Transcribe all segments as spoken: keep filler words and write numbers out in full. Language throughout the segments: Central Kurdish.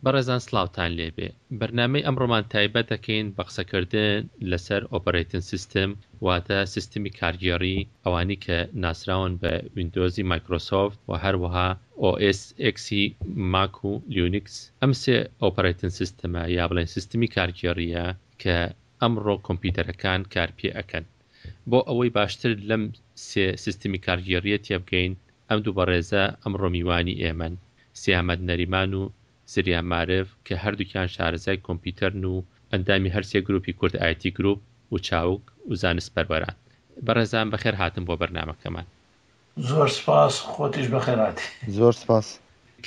بەڕێزان سڵاوتان لێبێ. بەرنامەی ئەمڕۆمان تایبەت دەکەین بە قسەکردن لەسەر operating system، واتە سیستمی کارگێڕی، ئەوانی کە ناسراون بە ویندۆزی مایکرۆسۆفت و هەروەها OS X ی ماک و لینوکس. ئەم سێ operating system ە یا بڵێن سیستمی کارگێڕیە کە ئەمڕۆ کۆمپیوتەرەکان کار پێ ئەکەن. بۆ ئەوەی باشتر لەم سێ سیستمی کارگێڕیە تێبگەین، ئەم دوو بەڕێزە ئەمڕۆ میوانی ئێمەن، سیامەند نەریمان و زریان مارف، کە هەردووکیان شارەزای کۆمپیوتەرن و ئەندامی هەرسێ گروپی کورد ئایتی گروپ و چاوگ و زانست پەروەران. بەڕێزان بەخێر هاتن بۆ بەرنامەکەمان. زۆر سپاس، خۆتیش بەخێر هاتی. زۆر سپاس.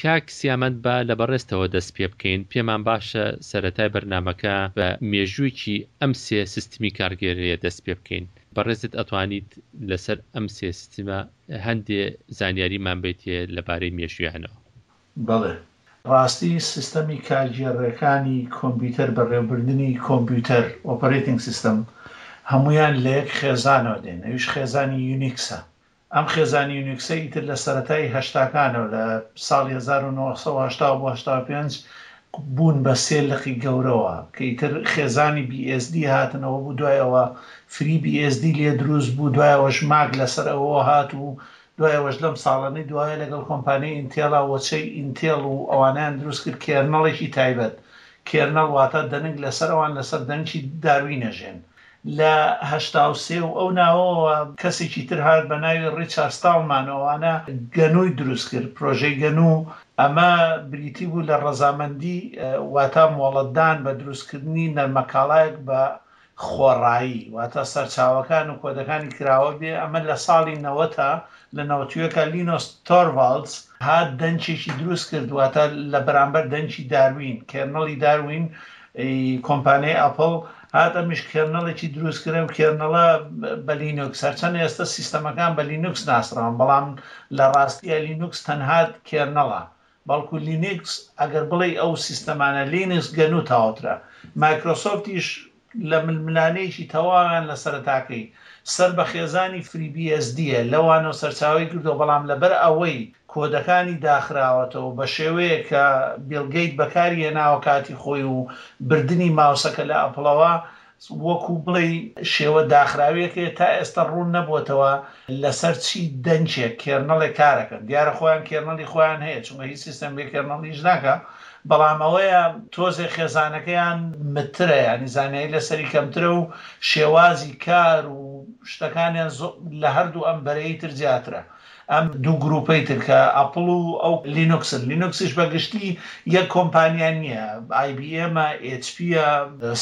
کاک سیامەند، با لە بەڕێزتەوە دەست پێ بکەین. پێمان باشە سەرەتای بەرنامەکە بە مێژوویەکی ئەم سێ سیستمی کارگێڕیە دەست پێ بکەین. بەڕێزت ئەتوانیت لەسەر ئەم سێ سیستمە هەندێ زانیاریمان بێتێ لەبارەی مێژوویانەوە؟ بەڵێ، ڕاستی سیستەمی کارگێڕەکانی کۆمپیوتەر، بەڕێوەبردنی کۆمپیوتەر، operating system، هەمویان لە یەک خێزانەوە دێن، ئەویش خێزانی یونیکسە. ئەم خێزانی یونیکسە ئیتر لە سەرەتای هەشتاکانەوە، لە ساڵی هەزار و نۆ سەد و هەشتا بۆ هەشتا و پێنج بوون بە سێ لقی گەورەوە کە ئیتر خێزانی بی ئێس دی هاتنەوە بوو، دوایەوە فری بی ئێس دی لێ دروست بوو، دوایەوەش ماک لەسەر ئەوە هات و دوایەوەش لەم ساڵانەی دوایە لەگەڵ کۆمپانیای ئینتێڵا وەچەی ئینتێڵ و ئەوانیان دروست کرد kernel ێکی تایبەت. kernel واتە دەنگ لەسەر ئەوان لەسەر دەنگی داروینەژێن. لە هەشتا و سێ و ئەو ناوەوە کەسێکی تر هات بە ناوی ڕیچارد ستاڵمان، ئەوانە گەنووی دروست کرد، پرۆژەی گەنوو. ئەمە بریتی بوو لە ڕەزامەندی، واتە مۆڵەتدان بە دروستکردنی نەرمەکاڵایەک بە خۆڕایی، واتە سەرچاوەکان و کۆدەکانی کراوە بێ. ئەمە لە ساڵی نەوەتا، لە نەوەتویەکە لینۆس تۆرڤالدز هات دەنکێکی دروست کرد، واتە لە بەرامبەر دەنکی داروین، kernel ی داروین کۆمپانیای ئەپڵ هات ئەمیش kernel ێکی دروست کرد و kernel ە بە لینوکس. هەرچەند ئێستا سیستەمەکان بە لینوکس ناسراون، بەڵام لە ڕاستیە لینوکس تەنها kernel ە، بەڵکو لینکس ئەگەر بڵێ ئەو سیستەمانە لینکس گەنوو تاوترە. مایکرۆسۆفتیش لە ململانەیەکی تەواویان لە سەرەتاکەی سەر بە خێزانی فری بی ئێس دیە، لەوانەوە سەرچاوی کردو، بەڵام لەبەر ئەوەی کۆدەکانی داخراوەتەوە بە شێوەیە کە بیڵ گەیت بەکاری هێناوە کاتی خۆی و بردنی ماوسەکە لە ئەپڵەوە، وەکو بڵێ شێوە داخراویەکەی تا ئێستا ڕوون نەبووتەوە لەسەر چی دەنکێک kernel ێک کارەکەن. دیارە خۆیان kernel ی خۆیان هەیە، چونکە هیچ سیستەم بێ kernel یش ناکە، بەڵام ئەوەیە تۆزێ خێزانەکەیان مترە، ینی زانیاری لەسەری کەمترە و شێوازی کار و شتەکانیان لە هەردوو ئەم بەرەی تر زیاترە. ئەم دوو گروپەی تر کە ئەپڵ و ئەو لینوکسن، لینوکسیش بەگشتی یەک کۆمپانیا نییە، ئای بی ئێمە، ئێچ پیە،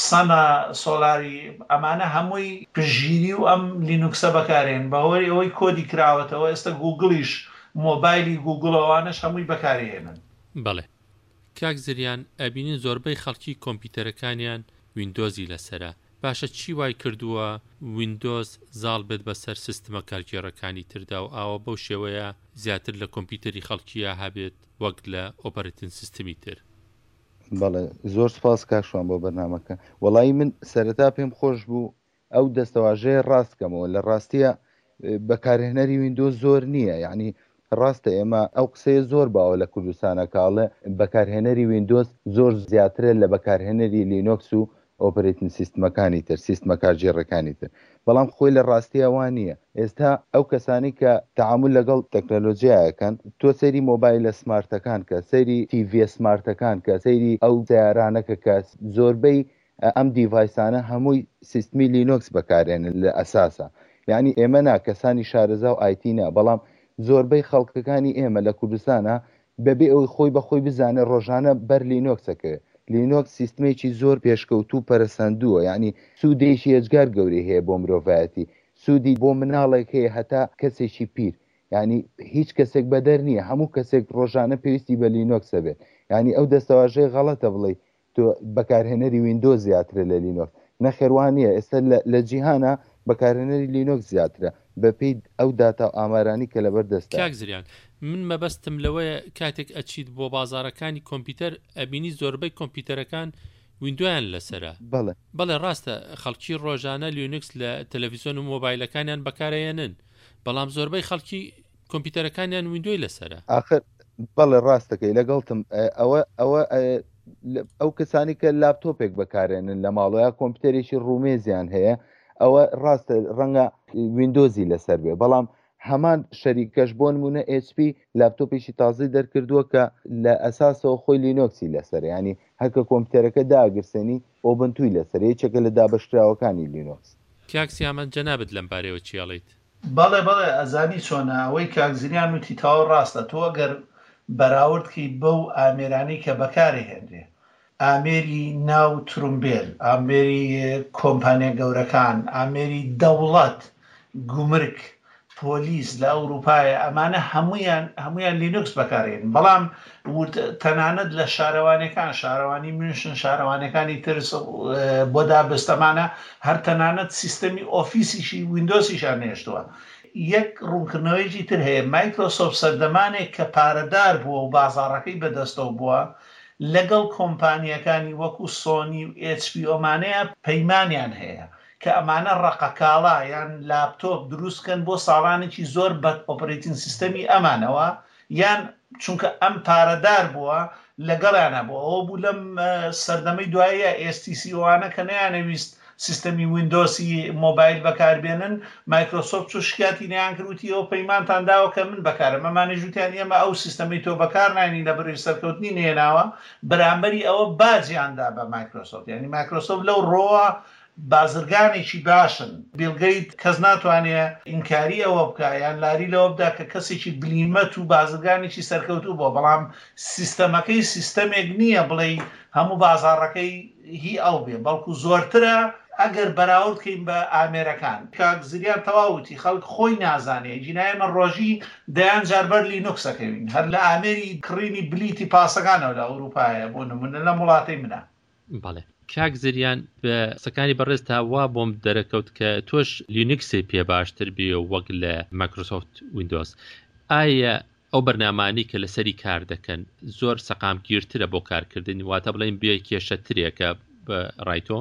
سەنە، سۆلاری، ئەمانە هەمووی پشتگیری و ئەم لینوکسە بەکارێن. بەهۆی ئەوەی کۆدی کراوەتەوە ئێستا گوگڵیش مۆبایلی گوگڵ ئەوانەش هەمووی بەکارهێنن. بەڵێ کاک زریان، ئەبینین زۆربەی خەڵکی کۆمپیوتەرەکانیان ویندۆزی لەسەرە. باشە چی وای کردووە ویندۆز زاڵ بێت بەسەر سیستمە کارگێڕەکانی تردا و ئاوە بەو شێوەیە زیاتر لە کۆمپیوتەری خەڵکیە هەبێت وەک لە operating system ی تر؟ بەڵێ، زۆر سپاس کاک شوان بۆ بەرنامەکە. وەڵی من سەرەتا پێم خۆش بوو ئەو دەستەواژەیە ڕاست کەمەوە. لە ڕاستیە بەکارهێنەری ویندۆز زۆر نییە، یعنی ڕاستە ئێمە ئەو قسەیە زۆر باوە لە کوردستانە کاڵێ بەکارهێنەری ویندۆز زۆر زیاترە لە بەکارهێنەری لینۆکس و operating system ەکانی تر، سیستمە کارگێڕەکانی تر، بەڵام خۆی لە ڕاستیە وان نییە. ئێستا ئەو کەسانی کە تەعامل لەگەڵ تەکنەلۆژیایەکەن، تۆ سەیری مۆبایلە smart ەکان کە، سەیری تیڤیە smart ەکان کە، سەیری ئەو سیارانەکە کە، زۆربەی ئەم device انە هەمووی سیستمی لینۆکس بەکارێنن لە ئەساسە. یعنی ئێمە نا کەسانی شارەزا و ئایتی نا، بەڵام زۆربەی خەڵکەکانی ئێمە لە کوردستانە بەبێ ئەوەی خۆی بە خۆی بزانێت ڕۆژانە بەر لینۆکسەکەوێت. لینۆکس سیستمێکی زۆر پێشکەوتوو پەرەسەندووە، یعنی سوودێکی ئێجگار گەورەی هەیە بۆ مرۆڤایەتی، سوودی بۆ مناڵێک هەیە هەتا کەسێکی پیر، یعنی هیچ کەسێک بەدەر نییە، هەموو کەسێک ڕۆژانە پێویستی بە لینۆکسە بێت. یعنی ئەو دەستەواژەی غەڵەتە بڵێ تۆ بەکارهێنەری ویندۆز زیاترە لە لینۆکس، نەخێروان نییە. ئێستا لە جیهانە بەکارهێنەری لینۆکس زیاترە بەپێی ئەو داتا و ئامارانی کە لەبەر دەستە. کاک زریان، من مەبەستم لەوەیە کاتێک ئەچیت بۆ بازارەکانی کۆمپیوتەر ئەبینی زۆربەی کۆمپیوتەرەکان ویندۆیان لەسەرە. بەڵێ. بەڵێ ڕاستە خەڵکی ڕۆژانە لینوکس لە تەلەڤیزیۆن و مۆبایلەکانیان بەکارهێنن، بەڵام زۆربەی خەڵکی کۆمپیوتەرەکانیان ویندۆی لەسەرە. ئاخر بەڵێ ڕاستەکەی لەگەڵتم. ئەوە ئەوە کەسانی کە لاپتۆپێک بەکارێنن لە ماڵەوە یا کۆمپیوتەرێکی ڕوومێزیان هەیە ئەوە ڕاستە ڕەنگە ویندۆزی لەسەر بێ، بەڵام هەمان شەریکەش بۆ نمونە ئێچ پی لاپتۆپێکی تازەی دەرکردووە کە لە ئەساسەوە خۆی لینۆکسی لەسەرە، یانی هەر کە کۆمپیوتەرەکە داگرسێنی ئۆبنتوی لەسەرە، یەکێکە لە دابەشکراوەکانی لینۆکس. کاک سیامەند جەنابت لەم بارەیەوە چی ئەڵێیت؟ بەڵێ بەڵێ ئەزانی چۆنە ئەوەی کاک زریان وتی تەواو ڕاستە تۆ ئەگەر بەراورد کەی بەو ئامێرانەی کە بەکارەهێنرێ ئامێری ناو ترومبێل ئامێری کۆمپانیا گەورەکان ئامێری دەوڵەت گومرگ پۆلیس لە ئەوروپایە ئەمانە هەموویان هەموویان لینوکس بەکارێن بەڵام ورد تەنانەت لە شارەوانەکان شارەوانی میونشن شارەوانەکانی ترس بۆ دابستەمانە هەر تەنانەت سیستەمی ئۆفیسیشی ویندۆسیشان نێشتووە. یەک ڕوونکردنەوەیەکی تر هەیە، مایکرۆسۆفت سەردەمانێک کە پارەدار بووە و بازاڕەکەی بەدەستەوە بووە لەگەڵ کۆمپانییەکانی وەکو سۆنی و ئێچ پی ئەمانەیە پەیمانیان هەیە کە ئەمانە ڕەقەکاڵا یان لاپتۆپ دروست کەن بۆ ساڵانێکی زۆر بە ئۆپەرەیتینگ سیستەمی ئەمانەوە یان چونکە ئەم پارەدار بووە لەگەڵیانە بوو ئەوە بوو لەم سەردەمەی دواییە ئێس تی سی ئەوانە کە نەیانەویست سیستەمی ویندۆسی مۆبایل بەکاربێنن مایکرۆسۆفت چۆ شکاتی نیان کرد وتی ئەوە پەیمانتان داوە کە من بەکارم ئەمانەش وتیان ئێمە ئەو سیستەمەی تۆ بەکار ناینی لە بەرەی سەرکەوتنی نێناوە بەرامبەری ئەوە باجیان دا بە مایکرۆسۆفت یعنی مایکرۆسۆفت لەو ڕۆوە بازرگانێکی باشن. بیڵ گەیت کەس ناتوانێ ئینکاری ئەوە بکا یان لاری لەوە بدا کە کەسێکی بلیمەت و بازرگانێکی سەرکەوتوو بووە، بەڵام سیستەمەکەی سیستەمێک نییە بڵێی هەموو بازاڕەکەی هی ئەو بێ، بەڵکو زۆرترە ئەگەر بەراورد کەین بە ئامێرەکان. کاک زریان تەواو وتی خەڵک خۆی نازانێ، ئەگینا ئێمە ڕۆژی دەیان جار بەر لینوکس ئەکەوین هەر لە ئامێری کڕینی بلیتی پاسەکانەوە لە ئەوروپایە بۆ نمونە لەم وڵاتەی منە. بەڵێ کاک زریان بە قسەکانی بەڕێزتا وا بۆم دەرەکەوت کە تۆش لینوکسی پێ باشتر بێ وەک لە مایکرۆسۆفت ویندۆز. ئایا ئەو بەرنامانەی کە لەسەری کار دەکەن زۆر سەقامگیرترە بۆ کارکردن، واتە بڵێن بێ کێشەترێکە بە ڕای تۆ؟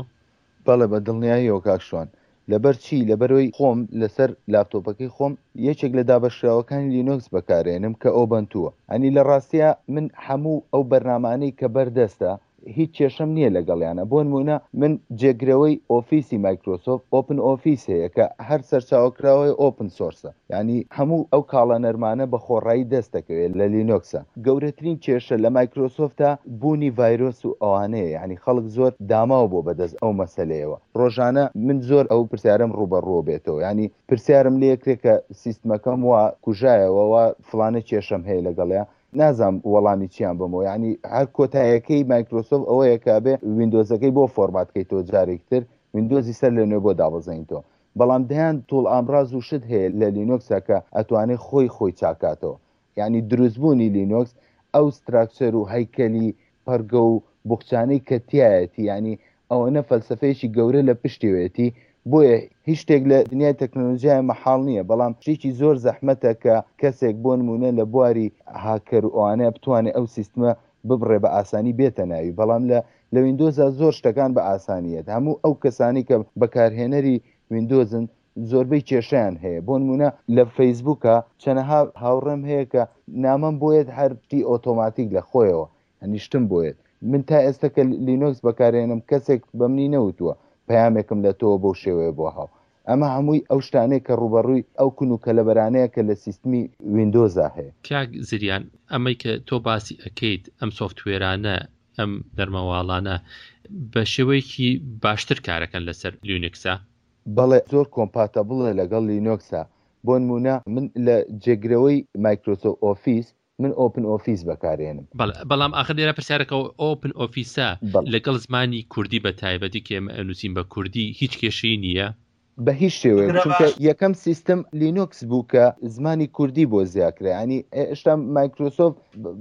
بەڵێ بە دڵنیاییەوە کاک شوان. لەبەر چی؟ لەبەرئەوەی خۆم لەسەر لاپتۆپەکەی خۆم یەکێک لە دابەشکراوەکانی لینۆکس بەکارێنم کە ئۆبەنتووە. ئەنی لە ڕاستیا من هەموو ئەو بەرنامانەی کە بەردەستە هیچ کێشەم نییە لەگەڵیانە. بۆ نموونە من جێگرەوەی ئۆفیسی مایکرۆسۆفت ئۆپن ئۆفیس هەیە کە هەر سەرچاوەکراوەی ئۆپن سۆرسە، یانی هەموو ئەو کاڵا نەرمانە بە خۆڕایی دەست دەکەوێت لە لینۆکسا. گەورەترین کێشە لە مایکرۆسۆفتا بوونی ڤایرۆس و ئەوانەیە، یانی خەڵک زۆر داماو بووە بەدەست ئەو مەسەلەیەوە. ڕۆژانە من زۆر ئەو پرسیارەم ڕووبەڕووە بێتەوە، یانی پرسیارم لێ کرێ کە سیستمەکەم وا کوژایەوە وا فڵانە کێشەم هەیە لەگەڵیا، نازانم وەڵامی چیان بەمەوە. یانی هەر کۆتایەکەی مایکرۆسۆفت ئەوەیە کە ئەبێ ویندۆزەکەی بۆ فۆرمات کەیتەوە جارێکی تر ویندۆزی سەر لە نوێ بۆ دابەزێنیتەوە. بەڵام دەیان توڵ ئامڕاز و شت هەیە لە لینۆکسا کە ئەتوانێ خۆی خۆی چاکاتەوە. یانی دروستبوونی لینۆکس ئەو ستراکچەر و هەیکەلی پەڕگە و بوخچانەی کە تیایەتی یانی ئەوەنە فەلسەفەیەکی گەورە لە پشتیەوەیەتی، بۆیە هیچ شتێک لە دنیای تەکنەلۆژیای مەحاڵ نییە، بەڵام شتێکی زۆر زەحمەتە کە کەسێک بۆ نموونە لە بواری هاکەر و ئەوانەیە بتوانێت ئەو سیستمە ببڕێ بە ئاسانی بێتە ناوی، بەڵام لە لە ویندۆزا زۆر شتەکان بە ئاسانیەت، هەموو ئەو کەسانی کە بەکارهێنەری ویندۆزن زۆربەی کێشەیان هەیە، بۆ نموونە لە فەیسبووکا چەنەها هاوڕێم هەیە کە نامەم بۆیەت هەر شتی ئۆتۆماتیک لە خۆیەوە یانی شتم بۆیەت، من تا ئێستا کە لینۆکس بەکارهێنم کەسێک بە منی نەوتووە پەیامێکم لە تۆوە بەو شێوەیە بۆ هاو. ئەمە هەمووی ئەو شتانەیە کە ڕووبەڕووی ئەو کون و کەلەبەرانەیە کە لە سیستمی ویندۆزا هەیە. کاک زریان ئەمەی کە تۆ باسی ئەکەیت ئەم سۆفتوێرانە ئەم نەرمەواڵانە بە شێوەیەکی باشتر کارەکەن لەسەر لینوکسا؟ بەڵێ زۆر کۆمپاتەبڵە لەگەڵ لینوکسا. بۆ نموونە من لە جێگرەوەی مایکرۆسۆفت ئۆفیس من ئۆپن ئۆفیس بەکارێنم. بەڵێ بەڵام ئاخر لێرە پرسیارەکە ئۆپن ئۆفیسە لەگەڵ زمانی کوردی بە تایبەتی کە ئێمە ئەنووسین بە کوردی هیچ کێشەی نییە؟ بە هیچ شێوەیەک، چونکە یەکەم سیستم لینوکس بوو کە زمانی کوردی بۆ زیا کرا، یانی ئێشتا مایکرۆسۆفت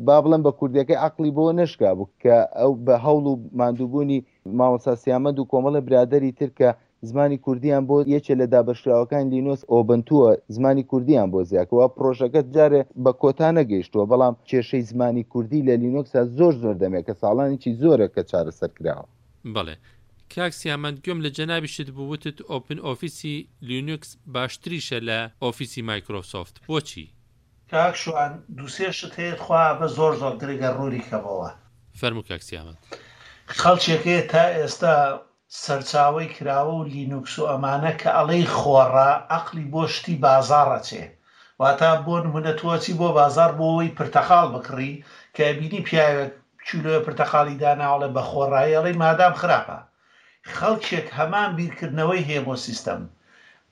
با بڵێم بە کوردیەکەی عەقڵی بۆ نەشکا بوو کە ئەو بە هەوڵ و ماندووبوونی مامۆستا سیامەند و کۆمەڵێ برادەری تر کە زمانی کوردیان بۆ یەکێ لە دابەشکراوەکانی لینۆس ئۆبنتووە زمانی کوردیان بۆ زیاکەوە، پرۆژەکە جارێ بە کۆتا نەگەیشتووە، بەڵام کێشەی زمانی کوردی لە لینۆکسا زۆر زۆر دەمێکە، ساڵانێکی زۆرە کە چارەسەر کراوە. بەڵێ کاک سیامەند گوێم لە جەنابیشت بوو وتت ئۆپن ئۆفیسی لینوکس باشتریشە لە ئۆفیسی مایکرۆسۆفت، بۆچی؟ کاک شوان دوو سێ شت هەیە تخوا بە زۆر زۆر گرنگە ڕوونی کەمەوە. فەرموو کاک سیامەند. خەڵکێک هەیە تا ئێستا سەرچاوەی کراوە و لینوکس و ئەمانە کە ئەڵێی خۆڕە عەقڵی بۆ شتی بازاڕ ئەچێ واتا بۆ نمونە تۆ ئەچی بۆ بازاڕ بۆ ئەوەی پرتەقاڵ بکڕی کە ئەبینی پیاوێک کیلۆیە پرتەقاڵی داناوە ئەڵێ بە خۆڕایی ئەڵێی مادام خراپە خەڵکێک هەمان بیرکردنەوەی هەیە بۆ سیستەم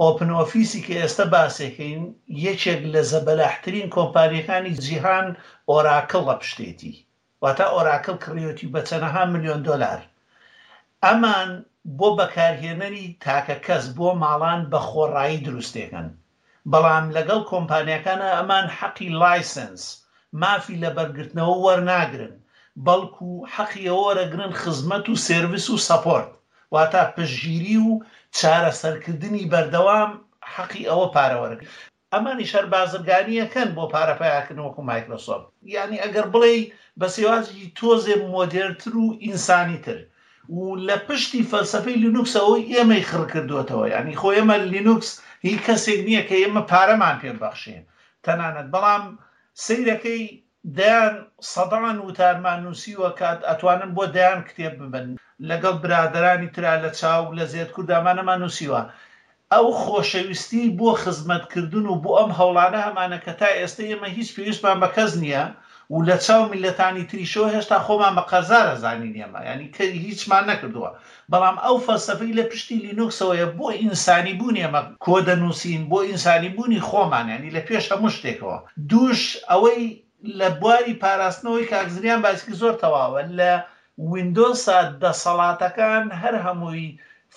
ئۆپن ئۆفیسی کە ئێستە باسێکەین یەکێک لە زەبەلاحترین کۆمپانیەکانی جیهان ئۆراکڵ لە پشتێتی واتە ئۆراکڵ کڕیوەتی بە چەنەها ملیۆن دۆلار ئەمان بۆ بەکارهێنەری تاکە کەس بۆ ماڵان بە خۆڕایی دروستێکەن بەڵام لەگەڵ کۆمپانیاکانە ئەمان حەقی لایسنس مافی لەبەرگرتنەوە وەرناگرن بەڵکو حەقی ئەوە وەرەگرن خزمەت و سێرڤس و سەپۆرت واتە پشتگیری و چارەسەرکردنی بەردەوام حەقی ئەوە پارە وەرەگرن ئەمانیش هەر بازرگانیەکەن بۆ پارە پەیاکردن وەکو مایکرۆسۆفت یعنی ئەگەر بڵێی بە شێوازێکی تۆزێ مۆدێرتر و ئینسانیتر و لە پشتی فەلسەفەی لینوکسەوە ئێمەی خڕ کردوێتەوە یعنی خۆ ئێمە لینوکس هی کەسێک نییە کە ئێمە پارەمان پێ بەخشێ تەنانەت بەڵام سەیرەکەی دەیان سەدان وتارمان نووسیوە کە ئەتوانن بۆ دەیان کتێب ببن لەگەڵ برادەرانی ترا لە چاوگ لە زێد کوردامانەمان نووسیوە ئەو خۆشەویستی بۆ خزمەتکردن و بۆ ئەم هەوڵانە هەمانە کە تا ئێستا ئێمە هیچ پێویستمان بە کەس نییە و لە چاو میلەتانی تریشەوە هێشتا خۆمان بە قەرزارە زانین ئێمە یعنی کە هیچمان نەکردووە بەڵام ئەو فەلسەفەی لە پشتی لینوکسەوەیە بۆ ئینسانی بوون ئێمە کۆ دەنووسین بۆ ئینسانی بوونی خۆمان یعنی لە پێش هەموو شتێکەوە دووش ئەوەی لە بواری پاراستنەوەی کاک زریان باسکی زۆر تەواوە لە ویندۆسا دەسەڵاتەکان هەر هەمووی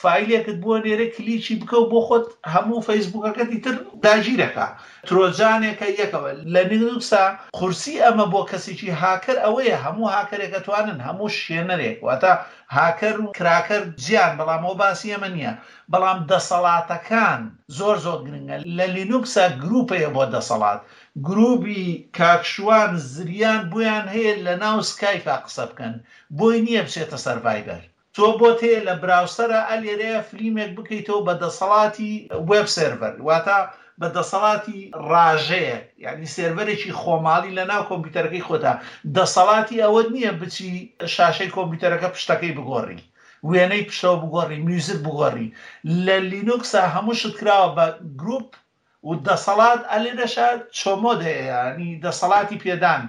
فایلێکت بۆ نێرە کلیکی بکە و بۆ خۆت هەموو فەیسبوکەکەتی تر داگیرەکە ترۆجانێکە یەکەوە لە لینوکسا قورسی ئەمە بۆ کەسێکی هاکەر ئەوەیە هەموو هاکەرێک ئەتوانن هەموو شێنەرێک واتە هاکەر و کراکەر جیان بەڵام ئەو باسی ئەمە نییە بەڵام دەسەڵاتەکان زۆر زۆر گرنگە لە لینوکسا گروپەیە بۆ دەسەڵات گروپی کاکشوان زریان بۆیان هەیە لە ناو سکایپا قسە بکەن بۆی نییە بچێتە سەر ڤایبەر تۆ بۆت هەیە لە براوسەرە ئەلێرەیە فلیمێک بکەیتەوە بە دەسەڵاتی وێب سێرڤەر واتە بە دەسەڵاتی ڕاژەیەک یعنی سێرڤەرێکی خۆماڵی لە ناو کۆمپیوتەرەکەی خۆتا دەسەڵاتی ئەوە نییە بچی شاشەی کۆمپیوتەرەکە پشتەکەی بگۆڕی وێنەی پشتەوە بگۆڕی میوزیک بگۆڕی لە لینوکسا هەموو شت کراوە بە گروپ و دەسەڵات ئەلێرەشە چۆمۆد هەیە ینی دەسەڵاتی پێدان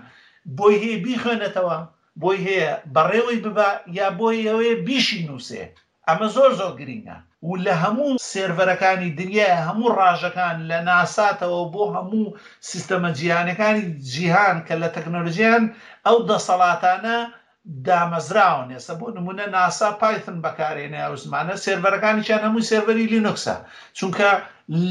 بۆی هەیە بیخوێنێتەوە بۆی هەیە بەڕێوەی ببا یا بۆی هەیە بیشی نووسێ ئەمە زۆر زۆر گرینگە و لە هەموو سێرڤەرەکانی دنیای هەموو ڕاژەکان لە ناساتەوە بۆ هەموو سیستەمە جیهانەکانی جیهان کە لە تەکنۆلۆژیان ئەو دەسەڵاتانە دامەزراون ئێستا بۆ نمونە ناسا پایتن بەکارێنێ ئەو زمانە سێرڤەرەکانیشیان هەمووی سێرڤەری لینوکسە چونکە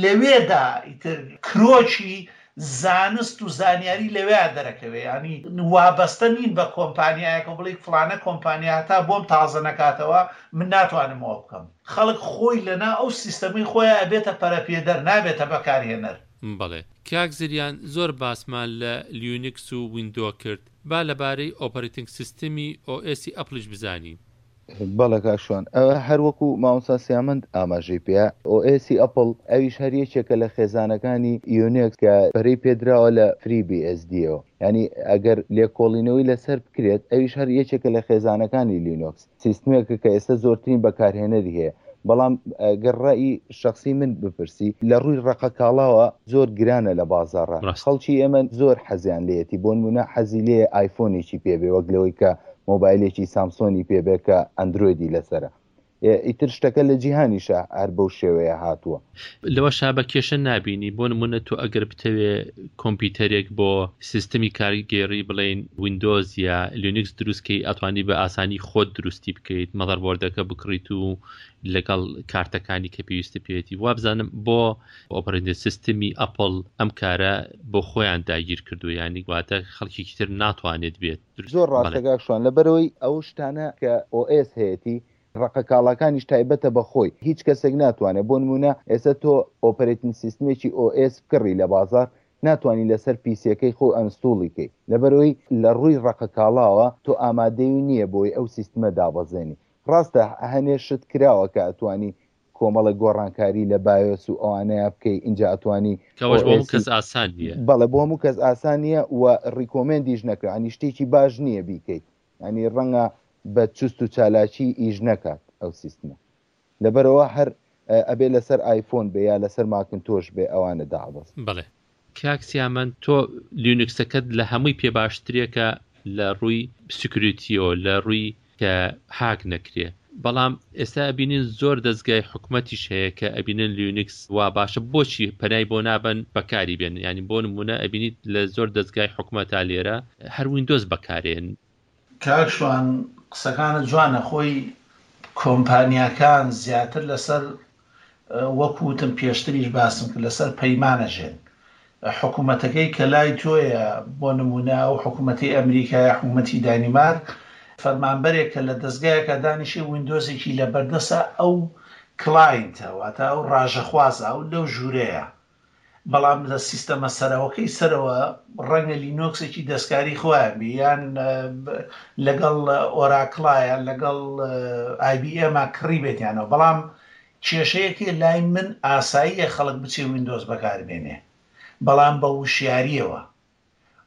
لەوێدا ئیتر کرۆکی زانست و زانیاری لەوێ دەرەکەوێ ینی وابەستە نین بە کۆمپانیایەکە بڵێ فلانە کۆمپانیا تا بۆم تازە نەکاتەوە من ناتوانم ئەوە بکەم خەڵک خۆی لەنا ئەو سیستەمەی خۆیان ئەبێتە پەرەپێدەر نابێتە بەکارهێنەر. بەڵێ کاک زریان زۆر باسمان لە لینوکس و ویندۆ کرد با لەبارەی ئۆپەرەتینگ سیستمی ئۆ ئێسی ئەپڵیش بزانین. بەڵێ کاک شوان ئەوە هەر وەکو مامۆستا سیامەند ئاماژەی پێ ئۆ ئێسی ئەپڵ ئەویش هەر یەکێکە لە خێزانەکانی یونێکس کە پەرەی پێدراوە لە فری بی ئێس دیەوە یعنی ئەگەر لێکۆڵینەوەی لەسەر بکرێت ئەویش هەر یەکێکە لە خێزانەکانی لینوکس سیستمێکە کە ئێستا زۆرترین بەکارهێنەری هەیە بەڵام ئەگەر ڕئی شخصی من بپرسی لە ڕووی ڕەقەکاڵاوە زۆر گرانە لە بازاڕە ڕاست. خەڵکی ئێمە زۆر حەزیان لێیەتی بۆ نمونە حەزی لێ ئایفۆنێکی پێبێ وەک لەوەی کە مۆبایلێکی سامسۆنی پێبێ کە ئەندرۆیدی لەسەرە ئیتر شتەکە لە جیهانیشە هەر بەو شێوەیە هاتووە. لەوەشا بە کێشە نابینی بۆ نمونە تۆ ئەگەر بتەوێ کۆمپیوتەرێک بۆ سیستمی کارگێڕی بڵێین ویندۆز یا لینوکس دروستکەی ئەتوانی بە ئاسانی خۆت دروستی بکەیت مەدەربۆردەکە بکڕیت و لەگەڵ کارتەکانی کە پێویستە پێێتی وابزانم بۆ ئۆپەرەتینگ سیستمی ئەپڵ ئەم کارە بۆ خۆیان داگیر کردو ینی واتە خەڵکێکی تر ناتوانێت بێت زۆر بەڵێ. ڕاستە کاک شوان لەبەرەوەی ئەو شتانە کە ئۆ ئێس هەیەتی ڕەقەکاڵاکانیش تایبەتە بە خۆی هیچ کەسێک ناتوانێت بۆ نمونە ئێستا تۆ ئۆپەرەتین سیستمێکی ئۆ ئێس بکڕی لە بازار ناتوانانی لەسەر پیسیەکەی خۆ ئەنستوڵی کەی لەبەرەوەی لە ڕووی ڕەقەکاڵاوە تۆ ئامادەی نییە بۆی ئەو سیستمە دابەزێنی ڕاستە هەنێ شت کراوە کە ئەتوانی کۆمەڵە گۆڕانکاری لە بایۆس و ئەوانەیە بکەی اینجا ئەتوانی کەەوەش بۆ هەموو ئۆ ئێسی کەس ئاسان نییە. بەڵێ بۆ هەموو کەس ئاسان نییە و ڕیکۆمێندیش نەکرا ینی شتێکی باش نییە بیکەیت ینی ڕەنگە بە چوست و چالاکی ئیش نەکات ئەو سیستمە. لەبەرئەوە هەر ئەبێ لەسەر ئایفۆن بێ یا لەسەر ماکنتۆش بێ ئەوانە دابەزن. بەڵێ کاک سیامەند تۆ لینوکسەکەت لە هەمووی پێ باشترێکە لە ڕووی سکیوریتیەوە، لە ڕووی کە هاک نەکرێ، بەڵام ئێستا ئەبینین زۆر دەزگای حکومەتیش هەیە کە ئەبینن لینوکس وا باشە، بۆچی پەنای بۆ نابەن بەکاری بێن؟ یعنی بۆ نمونە ئەبینیت لە زۆر دەزگای حکومەتا لێرە هەر ویندۆز بەکارێن. کاک شوان قسەکانت جوانە، خۆی کۆمپانیاکان زیاتر لەسەر وەکو وتم پێشتریش باسم کرد لەسەر پەیمانە ژێن. حکوومەتەکەی کە لای تۆیە، بۆ نمونە ئەو حکوومەتی ئەمریکا یا حکوومەتی دانیمارک، فەرمانبەرێک کە لە دەستگایەکە دانیشێ ویندۆزێکی لە بەردەسە، ئەو کلاینتە، واتە ئەو ڕاژەخوازە، ئەو لەو ژوورەیە. بەڵام لە سیستەمە سەرەوەکەی سەرەوە ڕەنگە لینۆکسێکی دەستکاری خۆیان بێ، یان لەگەڵ ئۆراکڵا یان لەگەڵ ئای بی ئێم کڕی بێتیانەوە. بەڵام کێشەیەکی لای من ئاساییە خەڵک بچێ ویندۆز بەکاربێنێ، بەڵام بە وشیاریەوە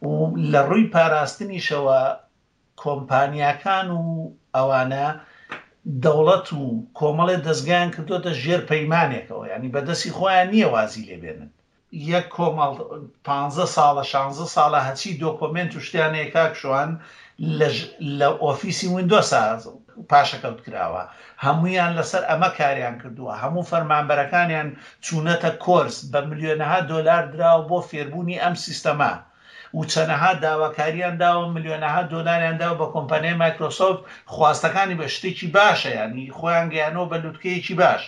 و لە ڕووی پاراستنیشەوە کۆمپانیاکان و ئەوانە دەوڵەت و کۆمەڵێ دەستگایان کردوتە ژێر پەیمانێکەوە، ینی بەدەستی خۆیان نییە وازی لێبێنن. یەک کۆمەڵ پانزە ساڵە شانزە ساڵە هەچی دۆکۆمێنت و شتیانەیە کاک شوان لە ئۆفیسی ویندۆسا پاشەکەوت کراوە، هەمویان لەسەر ئەمە کاریان کردووە، هەموو فەرمانبەرەکانیان چوونەتە کۆرس بە ملیۆنەها دۆلار دراوە بۆ فێربوونی ئەم سیستەمە و چەنەها داواکاریان داوە، ملیۆنەها دۆلاریان داوە بە کۆمپانیای مایکرۆسۆفت، خواستەکانی بە شتێکی باشە، ینی خۆیان گەیانەوە بە لوتکەیەکی باش.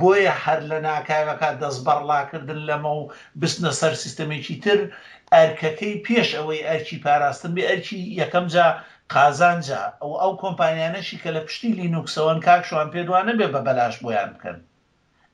بۆیە هەر لە ناکاوەکە دەست بەڕڵاکردن لەمە و بستنە سەر سیستەمێکی تر، ئەرکەکەی پێش ئەوەی ئەرکی پاراستن بێ، ئەرکی یەکەم جا قازانجا. ئەو ئەو کۆمپانیانەشی کە لە پشتی لینوکسەوەن کاک شوان پێ دوانە بێ بە بەلاش بۆیان بکەن،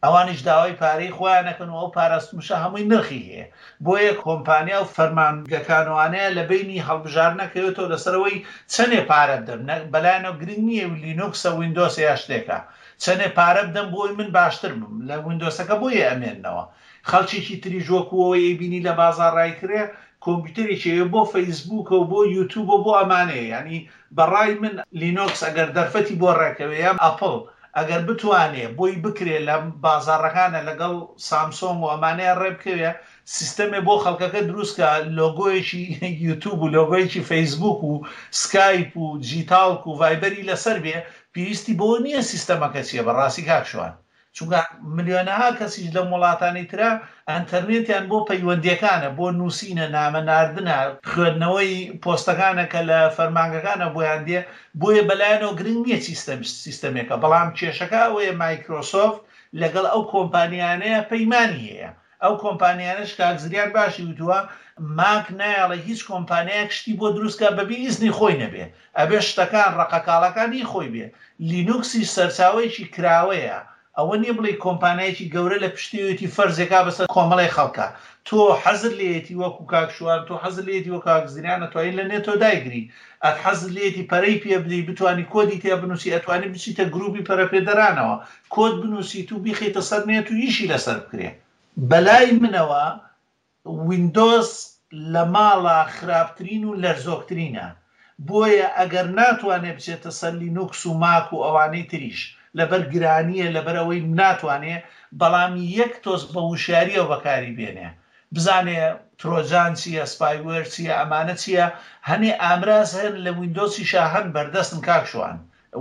ئەوانیش داوای پارەی خۆیانەکەن و ئەو پاراستنشە هەمووی نرخی هەیە. بۆیە کۆمپانیا و فەرمانگەکانوانەیە لە بینی هەڵبژاردنەکەوێتەوە لەسەرەوەی چەندێ پارە بدەم، بەلایەنەوە گرنگ نییە لینوکسە ویندۆسە یا شتێکە، چەندێ پارە بدەم بۆی من باشتر بم لە ویندۆسەکە بۆیە ئەمێننەوە. خەڵکێکی تریش وەکوەوەی ئەیبینی لە بازاڕ ڕایکرێ کۆمپیوتەرێکی بۆ فەیسبووکە و بۆ یوتیوب و بۆ ئەمانەیە. ینی بەڕای من لینوکس ئەگەر دەرفەتی بۆ ڕێکەوێ یان ئەپڵ ئەگەر بتوانێ بۆی بکرێ لە بازاڕەکانە لەگەڵ سامسۆنگ و ئەمانەیە ڕێ بکەوێ، سیستەمێ بۆ خەڵکەکە دروستکە لۆگۆیەکی یوتیوب و لۆگۆیەکی فەیسبوک و سکایپ و جیتاڵک و ڤایبەری لەسەر بێ، پێویستی بۆ نییە سیستەمەکە چییە. بەڕاستی کاک شوان، چونکە ملیۆنەها کەسیش لەم وڵاتانی ترە ئەنتەرنێتیان بۆ پەیوەندیەکانە، بۆ نووسینە، نامە ناردنە، خوێندنەوەی پۆستەکانە کە لە فەرمانگەکانە بۆیان دێ. بۆیە بەلایەنەوە گرنگ نییە سیستەم سیستەمێکە. بەڵام کێشەکە ئەوەیە مایکرۆسۆفت لەگەڵ ئەو کۆمپانیانەیە پەیمانی هەیە. ئەو کۆمپانیانەش کاک زریان باشی وتووە ماک نایەڵێ هیچ کۆمپانیایەک شتی بۆ دروستکە بەبێ ئیزنی خۆی نەبێ، ئەبێ شتەکان ڕەقەکاڵەکانی خۆی بێ. لینوکسی سەرچاوەیەکی کراوەیە، ئەوە نییە بڵێ کۆمپانیایەکی گەورە لە پشتیوێتی فەرزێکا بەسەر کۆمەڵی خەڵکە. تۆ حەزر لێیەتی وەکو کاک شوان، تۆ حەزر لێیەتی وەکو کاک زریان، ئەتوانی لە نێتۆ دایگری، ئەت حەزر لێیەتی پەرەی پێ بدەی، بتوانی کۆدی تێ بنووسی، ئەتوانی بچیتە گروپی پەرەپێدەرانەوە کۆد بنووسیت و بیخیتە سەر نێت و ئیشی لەسەر بکرێ. بەلای منەوە ویندۆز لە ماڵە خراپترین و لەرزۆکترینە، بۆیە ئەگەر ناتوانێت بچێتە سەر لینوکس و ماک و ئەوانەی تریش لەبەر گرانیە، لەبەر ئەوەی ناتوانێ، بەڵام یەک تۆز بە وشیاریەوە بەکاری بێنێ، بزانێ ترۆجان چییە، spyware چییە، ئەمانە چییە. هەنێ ئامراز هەن لە ویندۆسیشا هەن بەردەستن کاک شوان،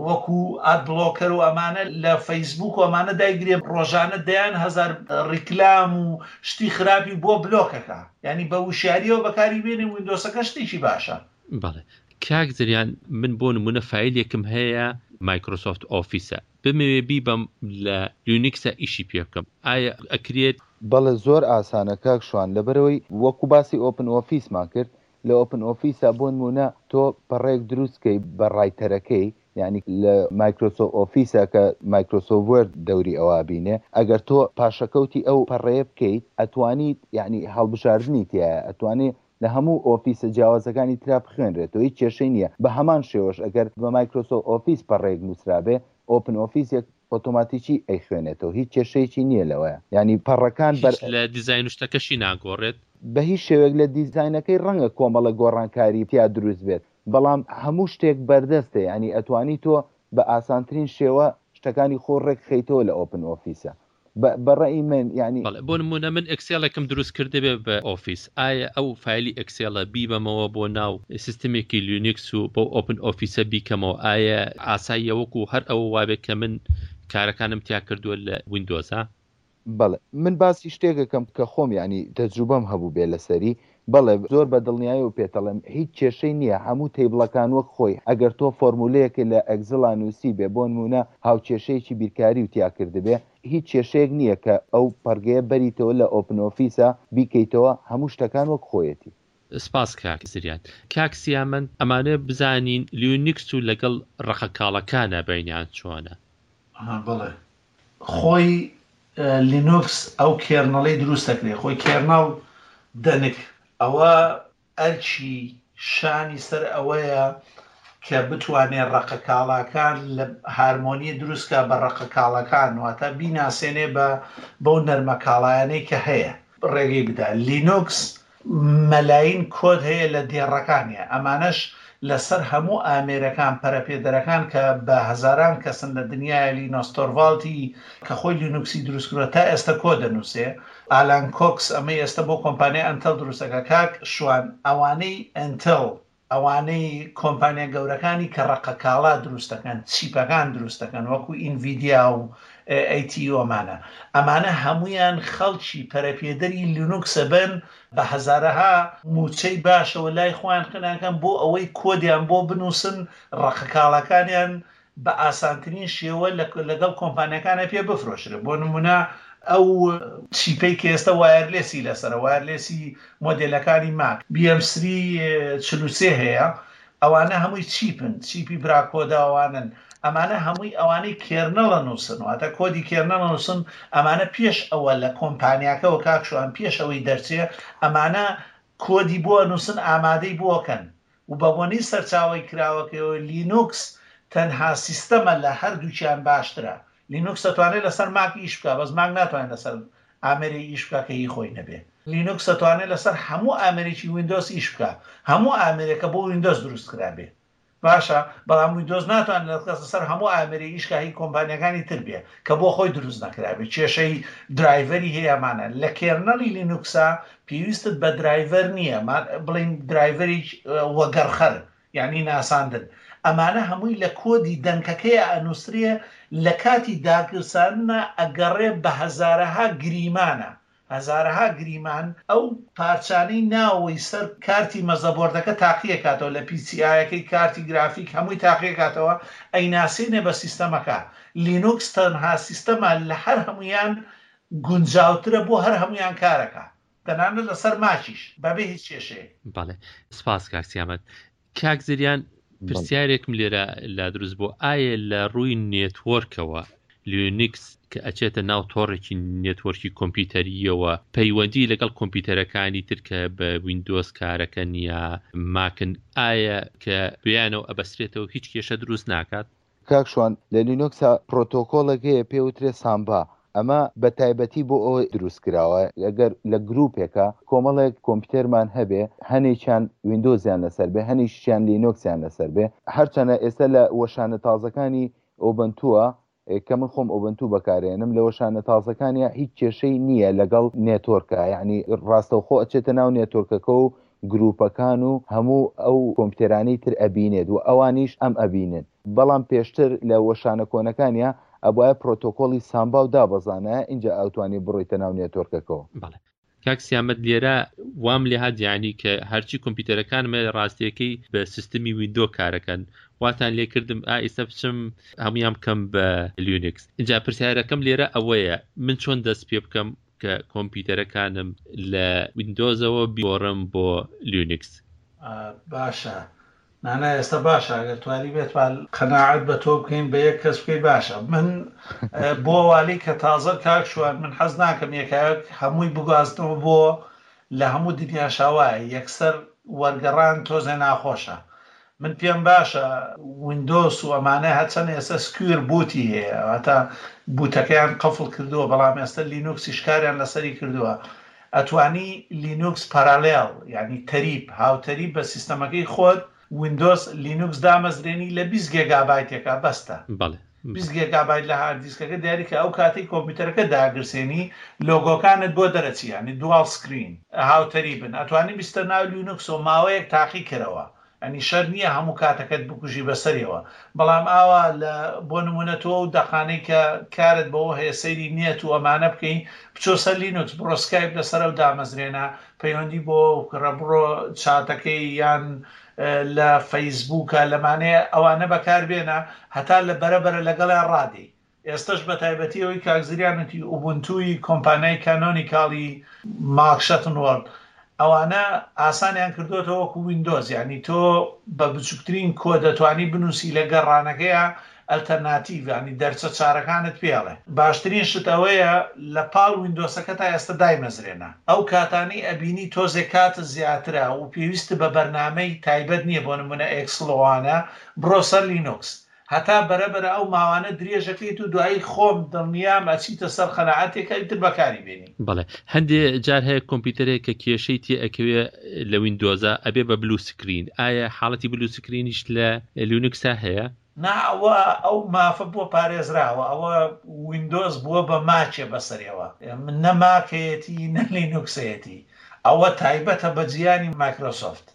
وەکو ad blocker و ئەمانە لە فەیسبوک و ئەمانە دایگرێ، ڕۆژانە دەیان هەزار ڕیکلام و شتی خراپی بۆ بلۆکەکە. ینی بە وشیاریەوە بەکاری بێنێ ویندۆسەکە شتێکی باشە. بەڵێ کاک زریان، من بۆ نمونە فایلێکم هەیە مایکرۆسۆفت ئۆفیسە، بمەوێ بیبەم لە یونیکسە ئیشی پێ بکەم، ئایا ئەکرێت؟ بەڵێ زۆر ئاسانە کاک شوان، لەبەرەوەی وەکو باسی ئۆپن ئۆفیسمان کرد، لە ئۆپن ئۆفیسا بۆ نمونە تۆ پەڕێک دروستکەی بە ڕایتەرەکەی، یعنی لە مایکرۆسۆفت ئۆفیسە کە مایکرۆسۆفت وۆرد دەوری ئەوە بینێ، ئەگەر تۆ پاشەکەوتی ئەو پەڕەیە بکەیت ئەتوانیت، یعنی هەڵبژاردنی تایە، ئەتوانێت لە هەموو ئۆفیسە جیاوازەکانی ترا بخوێنرێتەوە، هیچ کێشەی نییە. بە هەمان شێوەش ئەگەر بە مایکرۆسۆفت ئۆفیس پەڕەیەک نووسرابێ، ئۆپن ئۆفیسێک ئۆتۆماتیکی ئەیخوێنێتەوە، هیچ کێشەیەکی نییە لەوەیە. یعنی پەڕەکان بەر لە دیزاین و شتەکەشی ناگۆڕێت، بە هیچ شێوەیەک لە دیزاینەکەی ڕەنگە کۆمەڵە گۆڕانکاری تیا دروست بێت، بەڵام هەموو شتێک بەردەستە، یعنی ئەتوانی تۆ بە ئاسانترین شێوە شتەکانی خۆ ڕێک خەیتەوە لە ئۆپن ئۆفیسە. بە ڕەئی من یعنی بەڵێ بۆ نموونە من ئێکسێڵێکم دروست کردبێ بە ئۆفیس، ئایا ئەو فایلی ئێکسێڵە بیبەمەوە بۆ ناو سیستمێکی لینوکس و بەو ئۆپن ئۆفیسە بیکەمەوە، ئایا ئاساییە وەکو هەر ئەوە وابێ کە من کارەکانم تیا کردووە لە ویندۆزا؟ بەڵێ من باسی شتێکەکەم کە خۆم یعنی تەجروبەم هەبوو بێ لەسەری. بەڵێ زۆر بە دڵنیاییەوە پێتەڵێم هیچ کێشەی نییە، هەموو تەیبڵەکان وەک خۆی. ئەگەر تۆ فۆرمولەیەکە لە ئەگزڵا نووسی بێ، بۆ نمونە هاوکێشەیەکی بیرکاری و تیا کردبێ، هیچ کێشەیەک نییە کە ئەو پەرگەیە بەریتەوە لە ئۆپن ئۆفیسە بیکەیتەوە، هەموو شتەکان وەک خۆیەتی. سپاس کاک زریان. کاک سیامەند، ئەمانە بزانین لینوکس و لەگەڵ ڕەقەکاڵەکانە بینیان چۆنە؟ بەڵێ خۆی لینوکس ئەو کێرنەڵی دروست دەکرێت، خۆی کێرنەڵ دەنک ئەوە ئەرکی شانی سەر ئەوەیە کە بتوانێت ڕەقەکاڵاکان لە هارمۆنی دروستکە بە ڕەقەکاڵەکان، واتە بیناسێنێ بە بەو نەرمەکاڵایانەی کە هەیە ڕێگەی بدا. لینوکس مەلاین کۆد هەیە لە دێڕەکانیە، ئەمانەش لەسەر هەموو ئامێرەکان پەرەپێدەرەکان کە بە هەزاران کەسن لە دنیای لینۆس تۆرڤاڵتی کە خۆی لینوکسی دروست کردووە تا ئێستا کۆ دەنووسێ. ئالان کۆکس ئەمەی ئێستا بۆ کۆمپانیای ئەنتەل دروستەکە. کاک شوان، ئەوانەی ئەنتەل، ئەوانەی کۆمپانیا گەورەکانی کە ڕەقەکاڵا دروستەکەن، چیپەکان دروستەکەن وەکو ئینڤیدیا و ئەی تی ئەمانە، ئەمانە هەمویان خەڵکی پەرەپێدەری لینوکسە بن بە هەزارەها موچەی باشەوە لای خۆیان خناکەن بۆ ئەوەی کۆدیان بۆ بنووسن، ڕەقەکاڵاکانیان بە ئاسانترین شێوە لەگەڵ کۆمپانیەکانە پێ بفرۆشرێت. بۆ نمونە ئەو چیپەی کە ئێستا وایەرلێسی لەسەرە، وایەرلێسی مۆدێلەکانی ماک بی ئێم سری چل و سێ هەیە، ئەوانە هەمووی چیپن، چیپی براکۆداوانن. ئەمانە هەمووی ئەوانەی کێرنەڵە نووسن، واتە کۆدی کێرنەڵە نووسن. ئەمانە پێش ئەوە لە کۆمپانیاکەەوە کاک شوان پێش ئەوەی دەرچێ ئەمانە کۆدی بۆ نووسن، ئامادەی بۆکەن و بە بۆنەی سەرچاوەی کراوەکەەوە لینوکس تەنها سیستەمە لە هەردووکیان باشترە. لینوکس دەتوانێت لەسەر ماک ئیش بکە، بەس ماک ناتوانێت لەسەر ئامێری ئیش بکە کە هی خۆی نەبێ. لینوکس دەتوانێت لەسەر هەموو ئامێرێکی ویندۆز ئیش بکە، هەموو ئامێرێکە بۆ ویندۆز دروست کرابێ باشە، بەڵام ویندۆز ناتوانێت لەسەر هەموو ئامێری ئیش کە هی کۆمپانیەکانی تر بێ کە بۆ خۆی دروست نەکرابێ، کێشەی درایڤەری هەیە. ئەمانە لە کێرنەڵی لینوکسا پێویستت بە درایڤەر نییە، بڵین درایڤەری وەگەڕخەر یعنی ناساندن. ئەمانە هەمووی لە کۆدی دەنکەکەیە ئەنووسرێ، لە کاتی داگرسانە ئەگەڕێ بە هەزارەها گریمانە، هەزارەها گریمان ئەو پارچانەی ناوەی سەر کارتی مەزەبۆردەکە تاقیەکاتەوە، لە پی سی ئایەکەی کارتی گرافیک هەمووی تاقیەکاتەوە، ئەیناسێنێ بە سیستەمەکە. لینوکس تەنها سیستەمە لە هەر هەمویان گونجاوترە بۆ هەر هەمویان کارەکە، تەنانەت لەسەر ماچیش بەبێ هیچ کێشەیەک. بەڵێ سپاس کاک سیامەت. کاک زریان، پرسیارێکم لێرە لا دروست بۆ، ئایا لە ڕووی نێتوۆرکەوە لینوکس کە ئەچێتە ناو تۆڕێکی نێتوۆرکی کۆمپیوتەریەوە پەیوەندی لەگەڵ کۆمپیوتەرەکانی تر کە بە ویندۆز کارەکەن یا ماکن، ئایا کە بیانەوە ئەبەسرێتەوە هیچ کێشە دروست ناکات؟ کاک شوان، لە لینوکسا پرۆتۆکۆڵێک هەیە پێوترێ سامبا، ئەمە بە تایبەتی بۆ ئەوە دروست کراوە ئەگەر لە گروپێکە کۆمەڵێک کۆمپیوتەرمان هەبێ، هەنێکیان ویندۆزیان لەسەر بێ، هەنێکیان لینوکسیان لەسەر بێ. هەرچەنە ئێستا لە وەشانە تازەکانی ئۆبنتووە کە من خۆم ئۆبنتو بەکارێنم، لە وەشانە تازەکانیا هیچ کێشەی نییە لەگەڵ نێتۆرکە، یعنی ڕاستەوخۆ ئەچێتە ناو نێتۆرکەکە و گروپەکان و هەموو ئەو کۆمپیوتەرانەی تر ئەبینێت و ئەوانیش ئەم ئەبینن. بەڵام پێشتر لە وەشانە کۆنەکانیا ئەبوایە پرۆتۆکۆلی سامبا و دابەزانە اینجا ئەوتوانی بڕۆیتە ناو نێتۆرکەکەوە. بەڵێ کاک سیامەت، لێرە وام لێهات یعنی کە هەرچی کۆمپیوتەرەکانمە ڕاستیەکەی بە سیستمی ویندۆ کارەکەن، واتان لێکردم ئا ئێستا بچم هەمویان بکەم بە لینوکس. اینجا پرسیارەکەم لێرە ئەوەیە من چۆن دەست پێ بکەم کە کۆمپیوتەرەکانم لە ویندۆزەوە بیگۆڕم بۆ لینوکس؟ باشە نانا، ئێستا باشە ئەگەر توانی بێتوان قەناعەت بە تۆ بکەین بە یەک کەس بکەی باشە. من بۆ والی کە تازە کاک شوان، من حەز ناکەم یەکایەک هەمووی بگوازنەوە بۆ لە هەموو دنیا شاوایە، یەکسەر وەرگەڕان تۆزێ ناخۆشە. من پێم باشە ویندۆس و ئەمانە هەرچەند ئێستا سکویر بوتی هەیە، واتە بوتەکەیان قەفڵ کردووە، بەڵام ئێستا لینوکسیش کاریان لەسەری کردووە. ئەتوانی لینوکس پارالێل، یعنی تەریب، هاوتەریب بە سیستەمەکەی خۆت ویندۆز لینوکس دامەزرێنی لە بیست گێگابایتێکا بەستە. بەڵێ. بیست گێگابایت لە هارد دیسکەکە دیاری کە ئەو کاتەی کۆمپیوتەرەکە داگرسێنی لۆگۆکانت بۆ دەرەچی، یعنی dual screen هاوتەری بن، ئەتوانی بیستە ناو لینوکس و ماوەیەک تاقی کەرەوە، یعنی شەر نییە هەموو کاتەکەت بکوژی بەسەریەوە، بەڵام ئاوا لە بۆ نمونە تۆ ئەو دەقانەی کە کارت بەوە هەیە سەیری نێت و ئەمانە بکەی، بچۆ سەر لینوکس، بڕۆ سکایپ لەسەر ئەو دامەزرێنە، پەیوەندی بۆ بکڕە، بڕۆ چاتەکەی یان لە فەیسبووکە لەمانەیە ئەوانە بەکاربێنە هەتا لە بەرەبەرە لەگەڵیان ڕادێی. ئێستش بە تایبەتی ئەوەی کاک زریان وتی ئوبونتوی کۆمپانیای کانۆنیکاڵی مارک شەتنوەرد ئەوانە ئاسانیان کردوێتەوە وەکو ویندۆز، یعنی تۆ بە بچووکترین کۆ دەتوانی بنووسی لە گەڕانەکەیە ئەلتەرناتیڤ، یعنی دەرچە چارەکانت پێڵێ. باشترین شت ئەوەیە لە پاڵ ویندۆسەکە تا ئێستا دایمەزرێنە، ئەو کاتانەی ئەبینی تۆزێک کات زیاترە و پێویست بە بەرنامەی تایبەت نییە، بۆ نمونە ئێکسلۆوانە، بڕۆ سەر لینوکس هەتا بەرەبەرە ئەو ماوانە درێژەکەیت و دوایی خۆم دڵنیام ئەچیتە سەر قەناعەتێکە ئیتر بەکاری بێنی. بەڵێ هەندێ جار هەیە کۆمپیوتەرێک کە کێشەی تێ ئەکەوێ لە ویندۆزە ئەبێ بە blue screen، ئایا حاڵەتی blue screen یش لە لینوکسا هەیە؟ نا، ئەوە ئەو مافە بووە پارێزراوە، ئەوە ویندۆز بووە بە ماکێ بەسەرەوە، نە ماکەیەتی نە لینوکسەیەتی، ئەوە تایبەتە بە جیانی مایکرۆسۆفت.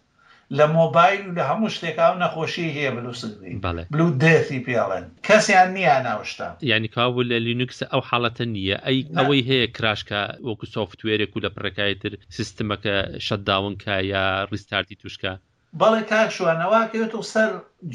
لە مۆبایل و لە هەموو شتێکا ئەو نەخۆشی هەیە blue screen، blue death ی پێڵێن، کەسیان نییە ناوشتا. یعنی کاوە لە لینوکس ئەو حاڵەتە نییە، ئەی ئەوەی هەیە crash کە وەکو software ێک و لە پڕێکایتر سیستمەکە shutdown کە یا restart ی توشکە؟ بەڵێ کاک شوان، ئەوە کەوێتەوە سەر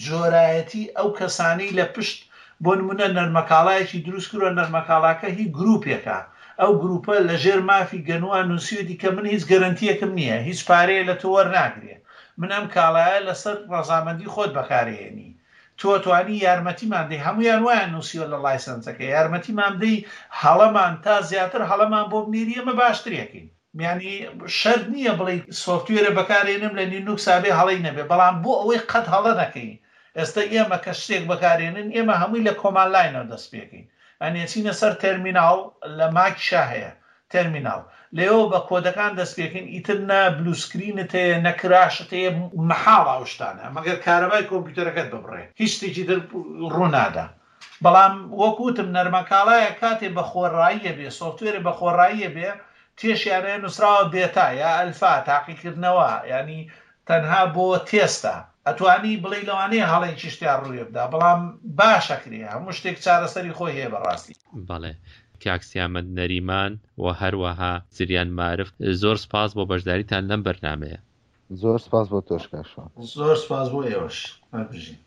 جۆرایەتی ئەو کەسانەی لە پشت بۆ نمونە نەرمەکاڵایەکی دروست کردووە، نەرمەکاڵاکە هی گروپێکە، ئەو گروپە لە ژێر مافی گەنووە نووسیوەتی کە من هیچ گەرەنتیەکم نییە، هیچ پارەیە لە تۆ وەرناگرێ، من ئەم کاڵایە لەسەر ڕەزامەندی خۆت بەکارهێنی، تۆ توانی یارمەتیمان دەی، هەمویان وایان نووسیوە لە license ەکە، یارمەتیمان دەی هەڵەمان تا زیاتر هەڵەمان بۆ بنێری ئێمە باشترێکین. یعنی شەرت نییە بڵێ software ە بەکارێنم لە لینوکسا بێ هەڵەی نەبێ، بەڵام بۆ ئەوەی قەت هەڵە نەکەی. ئێستا ئێمە کە شتێک بەکارێنن ئێمە هەمووی لە command line ەوە دەست پێکەین، یعنی ئەچینە سەر تەرمیناڵ، لە ماکیشا هەیە تەرمیناڵ، لێەوە بە کۆدەکان دەست پێکەین، ئیتر نە blue screen ت هەیە نە crash ت هەیە، مەحاڵ ئەو شتانە مەگەر کارەبای کۆمپیوتەرەکەت ببڕێ، هیچ شتێکی تر ڕوونادا. بەڵام وەکوتم نەرمەکاڵایە کاتێ بە خۆڕاییە بێ، software ێ بە خۆڕاییە بێ، تێشیانەیە نووسراوە beta یا ئەلفا تاقیکردنەوە، ینی تەنها بۆ تێستا، ئەتوانی بڵێ لەوانەیە هەڵەیەکی شتیان ڕووێ بدا، بەڵام باشەکرێ، هەموو شتێک چارەسەری خۆی هەیە بەڕاستی. بەڵێ کاک سیامەند نەریمان و هەروەها زریان مارف، زۆر سپاس بۆ بەشداریتان لەم بەرنامەیە. زۆر سپاس بۆ تۆش کاک شوان. زۆر سپاس بۆ ئێوەش. هەر بژین.